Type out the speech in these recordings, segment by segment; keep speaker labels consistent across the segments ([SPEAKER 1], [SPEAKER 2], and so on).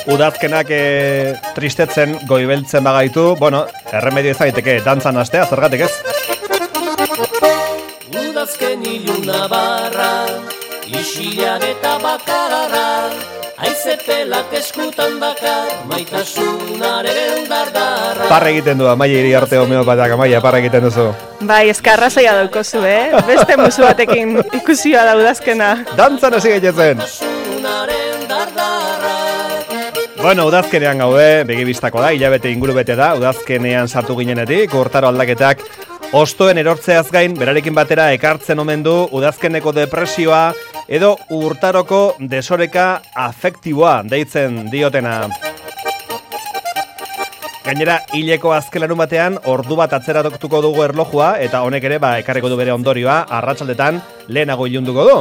[SPEAKER 1] Udazkenak tristetzen, goibeltzen bagaitu, bueno, erremedio izaiteke dantzan hastea, zergatik ez?
[SPEAKER 2] Udazken iluna barra, isilan eta bakarra, aizepelak eskutan dakar, maitasunaren dardarra.
[SPEAKER 1] Parra egiten du, Amaia Iriarte homeopatak, Amaia, parra egiten duzu.
[SPEAKER 3] Bai, eskarra zaila daukozu, Beste musu batekin ikusioa da udazkena.
[SPEAKER 1] Dantzan hasi gaitezen. Bueno, udazkenean gaude, begibistako da, hilabete inguru bete da, udazkenean sartu ginenetik, urtaro aldaketak ostoen erortzeaz gain, berarekin batera ekartzen omen du udazkeneko depresioa edo urtaroko desoreka afektiboa deitzen diotena. Gainera, hileko azkelarun batean, ordu bat atzeratuko dugu erlojua, eta honek ere, ekarriko du bere ondorioa, arratsaldetan lehenago ilunduko du.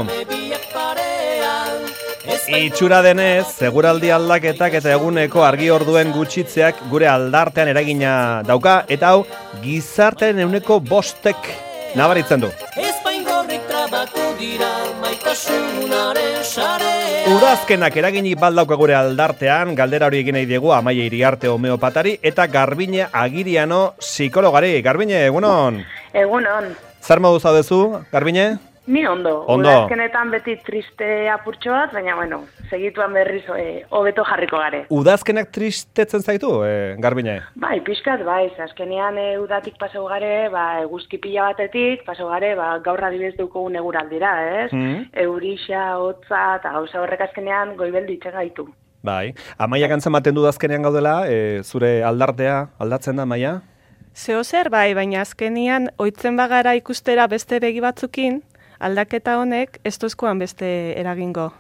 [SPEAKER 1] Itxura denez, seguraldi aldaketak eta eguneko argi orduen gutxitzeak gure aldartean eragina dauka, eta hau, gizartearen 5% nabaritzen du. Udazkenak eraginik baldauka gure aldartean, galdera hori egin nahi diegu Amaia Iriarte homeopatari eta Garbine Agiriano psikologari. Garbine, egunon?
[SPEAKER 4] Egunon.
[SPEAKER 1] Zer modu zaudezu, Garbine?
[SPEAKER 4] Ni ondo. Udazkenetan beti triste apurtxo bat, baina bueno, segituan berriz hobeto jarriko gare.
[SPEAKER 1] Udazkenak tristetzen zaitu, Garbine?
[SPEAKER 4] Bai, pixkat, bai, azkenean udatik pasau gare, eguzki pila batetik, pasau gare, gaur adibidez dukogun eguraldira, ez? Eurixa, hotza, eta gauza horrek azkenean goibel ditzen gaitu.
[SPEAKER 1] Bai, Amaia gantzen baten du udazkenean gaudela, zure aldartea aldatzen da, Amaia?
[SPEAKER 3] Zeo zer bai, baina azkenean ohitzen bagara ikustera beste begi batzukin, aldaketa honek ez duzkoan beste eragingo.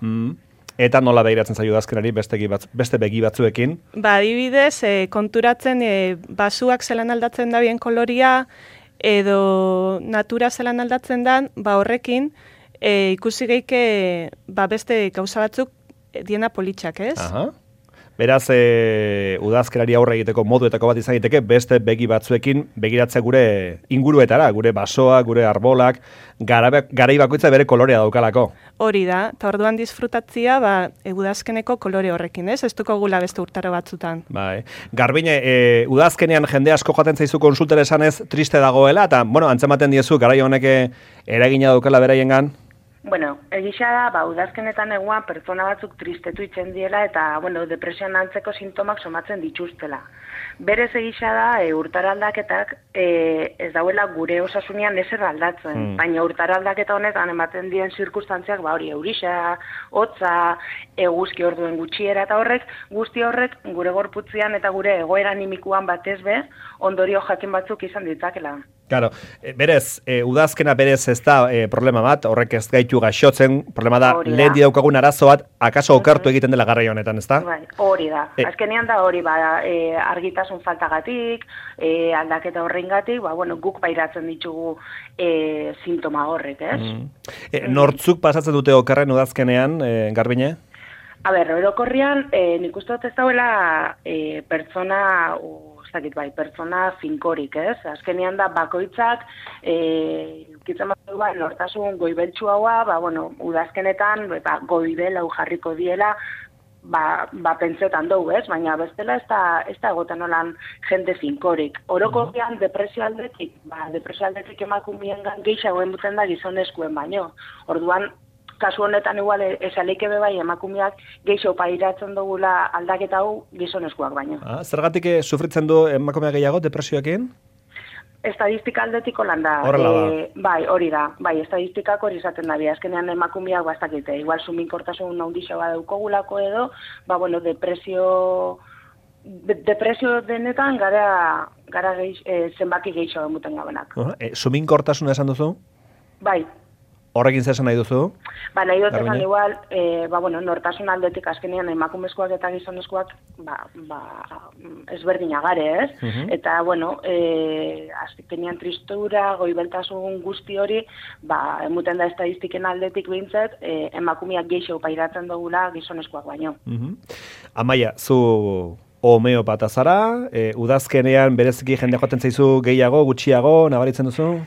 [SPEAKER 1] Eta nola behiratzen zaio udazkenari beste begi batzuekin?
[SPEAKER 3] Adibidez, konturatzen basuak zelan aldatzen da bien koloria, edo natura zelan aldatzen dan, horrekin ikusi geike beste gauza batzuk diena politxak, ez?
[SPEAKER 1] Aha. Beraz, udazkerari aurre egiteko moduetako bat izan egiteke, beste begi batzuekin begiratzea gure inguruetara, gure basoak, gure arbolak, garai bakoitza bere kolorea daukalako.
[SPEAKER 3] Hori da, eta orduan disfrutatzia, udazkeneko kolore horrekin, ez? Ez duko gula beste urtaro batzutan.
[SPEAKER 1] Bai. Garbine, udazkenean jende asko joaten zaizu konsultera esanez triste dagoela, eta, antzematen diezu, garai honek eragina daukala beraiengan?
[SPEAKER 4] Bueno, egisa da, udazkenetan eguan pertsona batzuk tristetu itzen diela eta, depresioan antzeko sintomak somatzen dituztela. Berez egisa da, urtaro aldaketak ez dauela gure osasunean ezer aldatzen, baina urtaro aldaketa honetan ematen dien zirkustantziak, eurixa, hotza, eguzki orduen gutxiera eta guzti horrek gure gorputzean eta gure egoera animikuan batez bez, ondorio jakin batzuk izan ditzakela.
[SPEAKER 1] Claro, berez, udazkena berez ez da problema bat, horrek ez gaitu gaixotzen, problema da, lehen daukagun arazo bat, akaso okertu egiten dela garraio honetan, ez da?
[SPEAKER 4] Bai, hori da. Azkenean da hori, argitasun faltagatik, aldaketa horrengatik, guk pairatzen ditugu sintoma horrek, ez?
[SPEAKER 1] Nortzuk pasatzen dute okerren udazkenean, Garbine?
[SPEAKER 4] Orokorrian, nik uste dut ez dauela pertsona finkorik, ez? Azkenean da bakoitzak, kitzen bat nortasun goibeltsu haua, udazkenetan goibel hau jarriko diela, pentsetan dugu, ez? Baina bestela ez da egoten olan jende finkorik. Orokorrian depresio aldetik emakumiengan gehiago enbuten da gizonezkoen baino. Orduan, kasu honetan igual esaleike bebai emakumeak gehiago pairatzen dugula aldaketa hau gizonezkoak baino.
[SPEAKER 1] Zergatik sufritzen du emakumeak gehiago depresioekin?
[SPEAKER 4] Estadistika aldetik holan da.
[SPEAKER 1] Horrela da.
[SPEAKER 4] Bai, hori da. Bai, estadistikak hori izaten da. Azkenean emakumeak bastakite. Igual suminkortasun handixo badaukogulako edo, depresio denetan gara zenbaki gehiago emuten gabenak.
[SPEAKER 1] Suminkortasuna esan duzu?
[SPEAKER 4] Bai.
[SPEAKER 1] Horrekin zesan nahi duzu?
[SPEAKER 4] Nahi dut esan igual, nortasun aldetik azkenean emakumezkoak eta gizonezkoak ezberdina gare, ez? Eta, azkenean tristura, goibeltasun guzti hori, emuten da estadistiken aldetik behintzet, emakumeak gehiago pairatzen dugula gizonezkoak baino.
[SPEAKER 1] Amaia, zu homeopata zara, udazkenean bereziki jende joaten zaizu gehiago, gutxiago, nabaritzen duzu?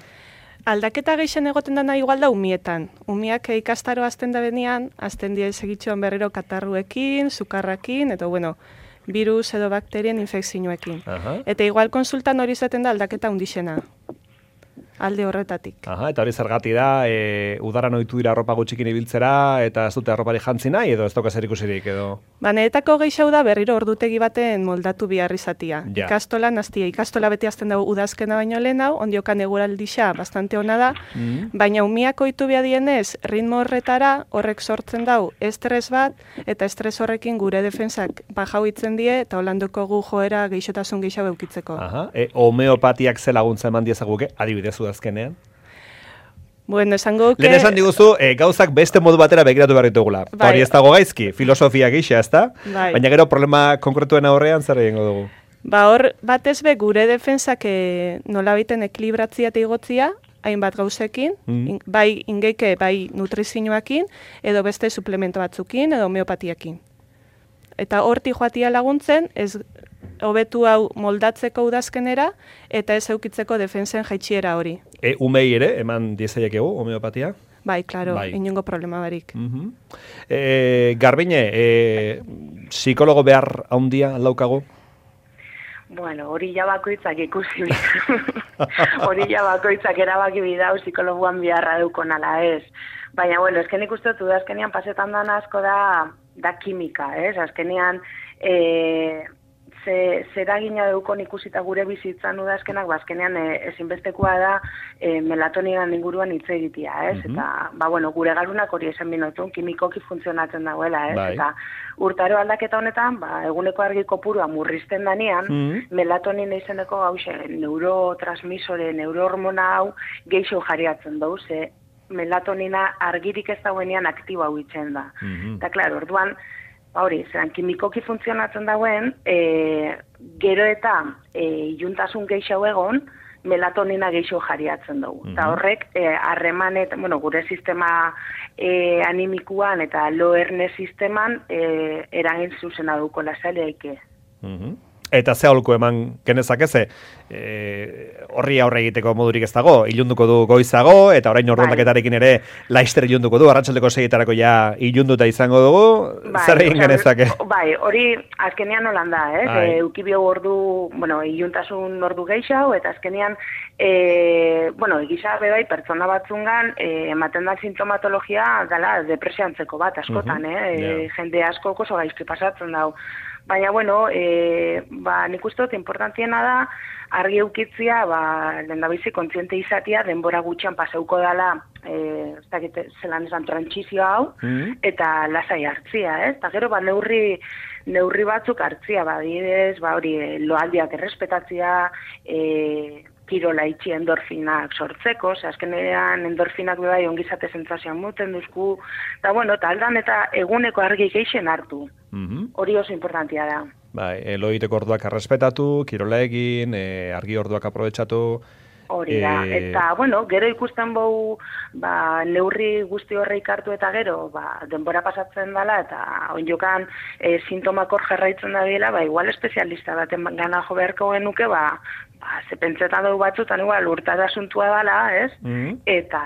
[SPEAKER 3] Aldaketa gehien egoten dena igual da umietan. Umiak ikastaro azten da benean, azten die segitxoan berriro katarruekin, sukarrakin, eta bueno, virus edo bakterien infekzioekin. Eta igual konsultan hori izaten da aldaketa undixena. Alde horretatik.
[SPEAKER 1] Eta hori zergati da, udaran ohitu dira arropa gutxikin ibiltzera, eta ez dute arropari jantzi nahi, edo ez dauka zer ikusirik, edo...
[SPEAKER 3] Banetako gehiago da berriro ordutegi baten moldatu behar izatia. Ja. Ikastola beti azten dago udazkena baino lehen hau, ondiokan eguraldixa bastante ona da, baina umiak ohitu behar dienez, ritmo horretara horrek sortzen dau estres bat, eta estres horrekin gure defensak bajau itzen die, eta holanduko gu joera geixotasun gehiago eukitzeko.
[SPEAKER 1] Homeopatiak ze laguntza eman diezaguke, adibidez udazkenean?
[SPEAKER 3] Bueno, esango que...
[SPEAKER 1] Lehen esan diguzu, gauzak beste modu batera begiratu behar ditugula. Hori ez dago gaizki, filosofia gisa, ezta? Baina gero problema konkretuen aurrean zer egingo dugu?
[SPEAKER 3] Hor, batez be, gure defensak nola biten ekilibratzia eta igotzia, hainbat gauzekin, bai ingeike, bai nutrizioakin, edo beste suplemento batzukin, edo homeopatiakin. Eta horti joatia laguntzen, ez hobetu hau moldatzeko udazkenera, eta ez eukitzeko defensen jaitsiera hori.
[SPEAKER 1] Umei ere, eman diezaiekegu, homeopatia?
[SPEAKER 3] Bai, klaro, inongo problema barik.
[SPEAKER 1] Garbine, psikologo behar haundia laukagu?
[SPEAKER 4] Bueno, hori ja bakoitzak ikusi. Hori ja bakoitzak erabaki bidau psikologuan biharra deukon ala ez. Baina, bueno, esken ikusten dut, azkenean pasetan dan asko da kimika, ez? Azkenean, zeragina deukon ikusita gure bizitzan udazkenak, azkenean ezinbestekoa da melatoninan inguruan hitz egitea, ez? Eta, bueno, gure galunak hori esan binotun, kimikoki funtzionatzen dagoela, ez? Eta urtaro aldaketa honetan, eguneko argi kopurua murrizten danean, melatonina izeneko hause, neurotransmisore, neurohormona hau geixo jariatzen dau, ze melatonina argirik ez dauenean aktiba hau itzen da. Eta, klaro, orduan, hori, zeran kimikoki funtzionatzen dauen, gero eta iluntasun gehiago egon, melatonina gehiago jariatzen dugu. Eta horrek, harremanet, gure sistema animikuan eta lo erne sisteman eragin zuzena duko lasaileike.
[SPEAKER 1] Eta ze aholku eman genezakeze, horri aurre egiteko modurik ez dago, ilunduko du goizago, eta orain ordondaketarekin ere laister ilunduko du, arratsaldeko 6etarako ja ilunduta izango dugu, zer egin genezake?
[SPEAKER 4] Bai, hori azkenean holan da, eukibio ordu, iluntasun ordu gehiago, eta azkenean, egisa bai, pertsona batzungan, ematen da sintomatologia dela depresiantzeko bat, askotan, jende asko oso gaizki pasatzen dau. Baina, nik uste dut importantiena da, argi eukitzia, lehendabizi kontziente izatea, denbora gutxian paseuko dela, ez dakit zelan esan trantsizio hau, eta lasai hartzia, ez? Eta gero, neurri batzuk hartzia, adibidez, hori, loaldiak errespetatzia, kirola itxi endorfinak sortzeko, azkenean endorfinak bai ongizate sentsazioa muten duzku, eta aldan eta eguneko argi geixen hartu. Hori oso importantia da.
[SPEAKER 1] Bai, lo egiteko orduak errespetatu, kirola egin, argi orduak aprobetxatu.
[SPEAKER 4] Hori da, eta, gero ikusten bau, neurri guzti horreik hartu eta gero, denbora pasatzen dela, eta onjokan sintomak hor jarraitzen da dela, igual espezialista baten gana jo beharko genuke, ze pentsetan dugu batzutan igual urtara asuntua dela, ez? Eta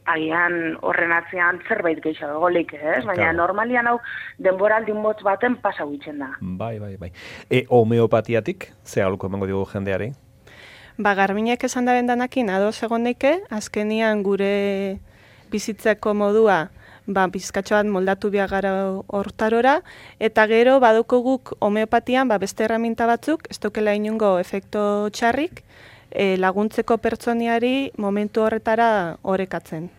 [SPEAKER 4] agian horren atzean zerbait gehiago golik, ez? Baina normalian hau denboraldi motz baten pasau itzen da.
[SPEAKER 1] Bai. Homeopatiatik, ze aholku emango dugu jendeari?
[SPEAKER 3] Garbinek esan da bendanakin ados egon neike, azkenian gure bizitzeko modua bizkatxoan moldatu biagara hortarora, eta gero baduko guk homeopatian beste herramienta batzuk, ez dukela inungo efekto txarrik, laguntzeko pertsoniari momentu horretara orekatzen.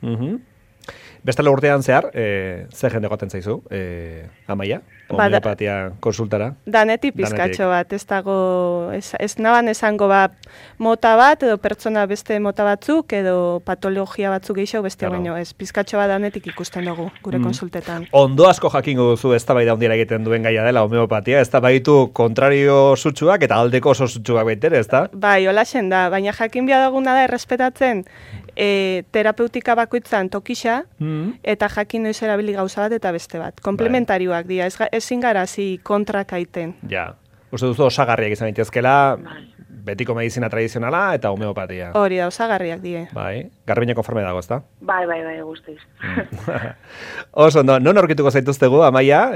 [SPEAKER 1] Bestela urtean zehar, ze jende goten zaizu, Amaia, homeopatia konsultara?
[SPEAKER 3] Danetik pizkatxo bat, ez dago, ez naban esango mota bat, edo pertsona beste mota batzuk, edo patologia batzuk gehiago beste baino, ez pizkatxo bat danetik ikusten dugu, gure konsultetan.
[SPEAKER 1] Ondo asko jakingo duzu ez da bai da hundiera egiten duen gaia dela homeopatia, ez da baitu kontrario sutsuak eta aldeko oso sutsuak baitere, ez da? Bai,
[SPEAKER 3] holaxen da, baina jakin biadaguna da errespetatzen terapeutika bakoitzan tokisa, eta jakin noiz erabili gauza bat eta beste bat. Komplementarioak dira, ezin gara kontrakaiten.
[SPEAKER 1] Ja, uste duzu osagarriak izan daitezkela, betiko medizina tradizionala eta homeopatia.
[SPEAKER 3] Hori da, osagarriak die.
[SPEAKER 1] Bai, Garbine konforme dago, ezta?
[SPEAKER 4] Bai, guztiz.
[SPEAKER 1] Oso, non aurkituko zaituztegu, Amaia,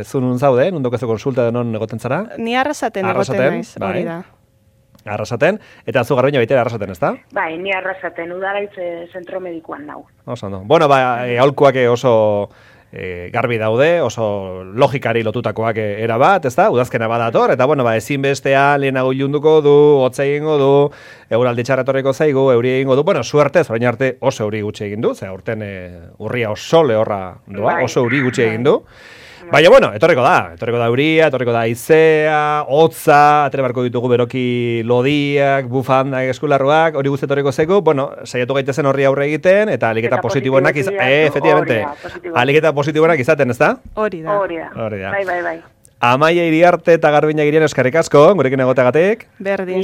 [SPEAKER 1] zu nun zaude, nun dokezu konsulta non egoten zara?
[SPEAKER 3] Ni Arrasaten egoten naiz, hori da.
[SPEAKER 1] Arrasaten, eta zu Garbine baitera Arrasaten, ezta?
[SPEAKER 4] Bai, ni Arrasaten, Udalaitz zentro medikuan nau.
[SPEAKER 1] Oso, no. Bueno, aholkuak oso garbi daude, oso logikari lotutakoak era bat, ezta? Udazkena badator, eta bueno, ezin bestea lehenago ilunduko du, hotza egingo du, eguraldi txarra etorriko zaigu, euri egingo du, bueno, suertez, orain arte oso euri gutxi egin du, ze aurten urria oso lehorra doa, oso euri gutxi egin du. Baina, bueno, etorriko da euria, etorriko da izea, hotza, atere barko ditugu beroki lodiak, bufandak, eskularruak, hori guzti etorriko zaigu, bueno, saiatu gaitezen horri aurre egiten, eta aliketa positiboenak efectivamente, aliketa positiboenak izaten, ezta?
[SPEAKER 3] Hori da.
[SPEAKER 4] Bai.
[SPEAKER 1] Amaia Iriarte eta Garbine Agirian eskerrik asko, gurekin egoteagatik.
[SPEAKER 3] Berdin,